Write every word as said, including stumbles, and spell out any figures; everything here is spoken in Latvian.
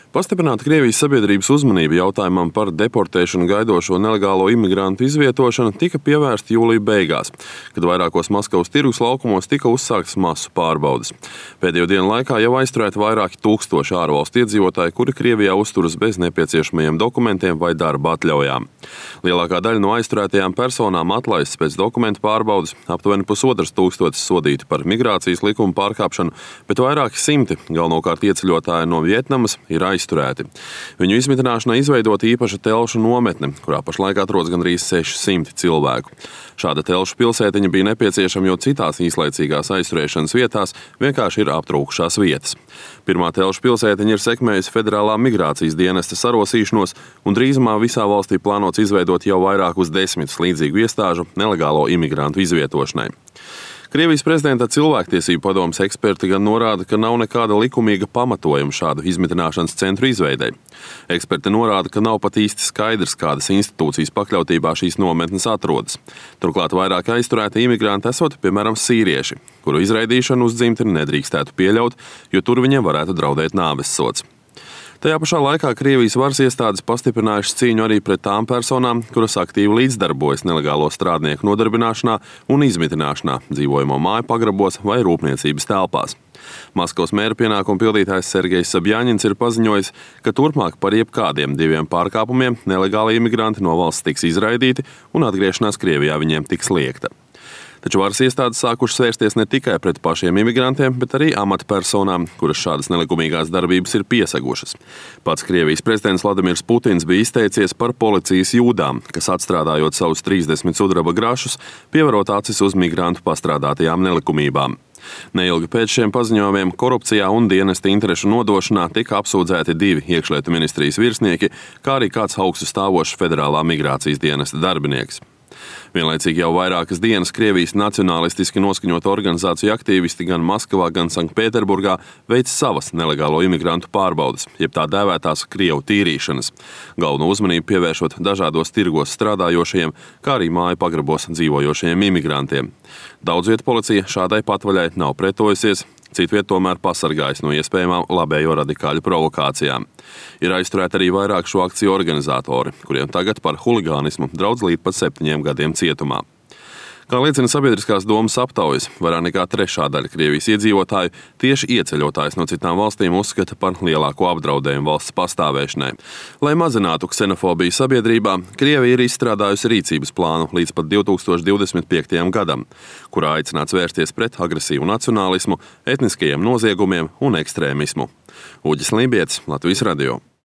Pastiprināta Krievijas sabiedrības uzmanība jautājumam par deportēšanu gaidošo nelegālo imigrantu izvietošanu tika pievērsta jūlija beigās, kad vairākos Maskavas tirgus laukumos tika uzsāktas masu pārbaudes. Pēdējo dienu laikā jau aizturēti vairāki tūkstoši ārvalstu iedzīvotāji, kuri Krievijā uzturas bez nepieciešamajiem dokumentiem vai darba atļaujām. Lielākā daļa no aizturētajām personām atlaistas pēc dokumentu pārbaudes, aptuveni pusotras tūkstotis sodīti par migrācijas likuma pārkāpšanu, bet vairāki simti, galvenokārt ieceļotāji no Vietnamas, ir aizturēti. Izturēti. Viņu izmitināšanai izveidota īpaša telšu nometne, kurā pašlaik atrodas gandrīz seši simti cilvēku. Šāda telšu pilsētiņa bija nepieciešama, jo citās īslaicīgās aizturēšanas vietās vienkārši ir aptrūkušās vietas. Pirmā telšu pilsētiņa ir sekmējusi Federālā migrācijas dienesta sarosīšanos, un drīzumā visā valstī plānots izveidot jau vairākus desmitus līdzīgu iestāžu nelegālo imigrantu izvietošanai. Krievijas prezidenta cilvēktiesību padomes eksperti gan norāda, ka nav nekāda likumīga pamatojuma šādu izmitināšanas centru izveidei. Eksperti norāda, ka nav pat īsti skaidrs, kādas institūcijas pakļautībā šīs nometnes atrodas. Turklāt vairāk aizturēti imigranti esot, piemēram, sīrieši, kuru izraidīšanu uz dzimteni nedrīkstētu pieļaut, jo tur viņiem varētu draudēt nāvessods. Tajā pašā laikā Krievijas varas iestādes pastiprinājušas cīņu arī pret tām personām, kuras aktīvi līdzdarbojas nelegālo strādnieku nodarbināšanā un izmitināšanā, dzīvojamo māju pagrabos vai rūpniecības telpās. Maskavas mēra pienākumu pildītājs Sergejs Sabjaņins ir paziņojis, ka turpmāk par jebkādiem diviem pārkāpumiem nelegāli imigranti no valsts tiks izraidīti un atgriešanās Krievijā viņiem tiks liegta. Taču varas iestādes sākušas vērsties ne tikai pret pašiem imigrantiem, bet arī amatpersonām, kuras šādas nelikumīgās darbības ir piesegušas. Pats Krievijas prezidents Vladimirs Putins bija izteicies par policijas jūdām, kas atstrādājot savus trīsdesmit sudraba grašus, pievarot acis uz migrantu pastrādātajām nelikumībām. Neilgi pēc šiem paziņojumiem korupcijā un dienesta interešu nodošanā tika apsūdzēti divi iekšlietu ministrijas virsnieki, kā arī kāds augstu stāvošs Federālā migrācijas dienesta darbinieks. Vienlaicīgi jau vairākas dienas Krievijas nacionālistiski noskaņota organizācija aktīvisti gan Maskavā, gan Sanktpēterburgā veic savas nelegālo imigrantu pārbaudes, jeb tā dēvētās Krievu tīrīšanas, galveno uzmanību pievēršot dažādos tirgos strādājošajiem, kā arī māju pagrabos dzīvojošajiem imigrantiem. Daudz vietu policija šādai patvaļai nav pretojusies, citviet tomēr pasargājas no iespējamām labējo radikāļu provokācijām. Ir aizturēti arī vairāk šo akciju organizatori, kuriem tagad par huligānismu draudz līdz pat septiņiem gadiem cietumā. Kā liecina sabiedriskās domas aptaujas, vairāk nekā trešā daļa Krievijas iedzīvotāju tieši ieceļotājus no citām valstīm uzskata par lielāko apdraudējumu valsts pastāvēšanai. Lai mazinātu ksenofobiju sabiedrībā, Krievija ir izstrādājusi rīcības plānu līdz pat divi tūkstoši divdesmit piektajam gadam, kurā aicināts vērsties pret agresīvu nacionālismu, etniskajiem noziegumiem un ekstrēmismu. Uģis Lībietis, Latvijas radio.